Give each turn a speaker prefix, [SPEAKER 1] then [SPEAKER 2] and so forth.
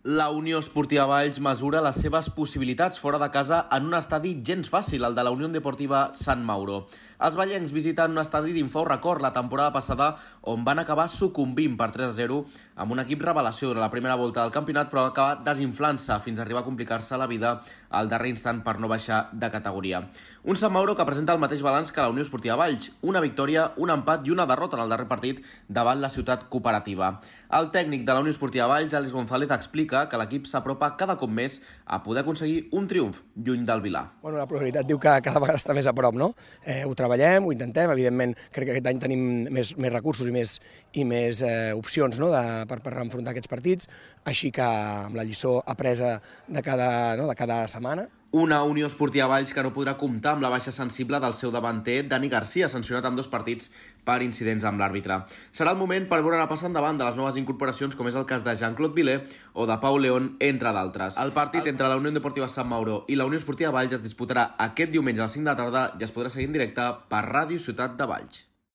[SPEAKER 1] La Unió Esportiva Valls mesura les seves possibilitats fora de casa en un estadi gens fàcil, el de la Unió Deportiva Sant Mauro. Els vallencs visiten un estadi d'infau record la temporada passada on van acabar sucumbint per 3-0 amb un equip revelació durant la primera volta del campionat, però va acabar desinflant-se fins a arribar a complicar-se la vida al darrer instant per no baixar de categoria. Un Sant Mauro que presenta el mateix balanç que la Unió Esportiva Valls, una victòria, un empat i una derrota en el darrer partit davant la ciutat cooperativa. El tècnic de la Unió Esportiva Valls, Àlex González, explica que l'equip s'apropa cada cop més a poder aconseguir un triomf lluny del Vilar.
[SPEAKER 2] Bueno, la probabilitat diu que cada vegada està més a prop, no? Ho treballem, ho intentem, evidentment crec que aquest any tenim més recursos i més opcions, no? per enfrontar aquests partits, així que amb la lliçó apresa de cada setmana.
[SPEAKER 1] Una Unió Esportiva Valls que no podrà comptar amb la baixa sensible del seu davanter, Dani Garcia, sancionat amb 2 partits per incidents amb l'àrbitre. Serà el moment per veure passar endavant de les noves incorporacions, com és el cas de Jean-Claude Vilé o de Pau León, entre d'altres. El partit entre la Unió Deportiva Sant Mauro i la Unió Esportiva Valls es disputarà aquest diumenge a les 5 de la tarda i es podrà seguir en directe per Ràdio Ciutat de Valls.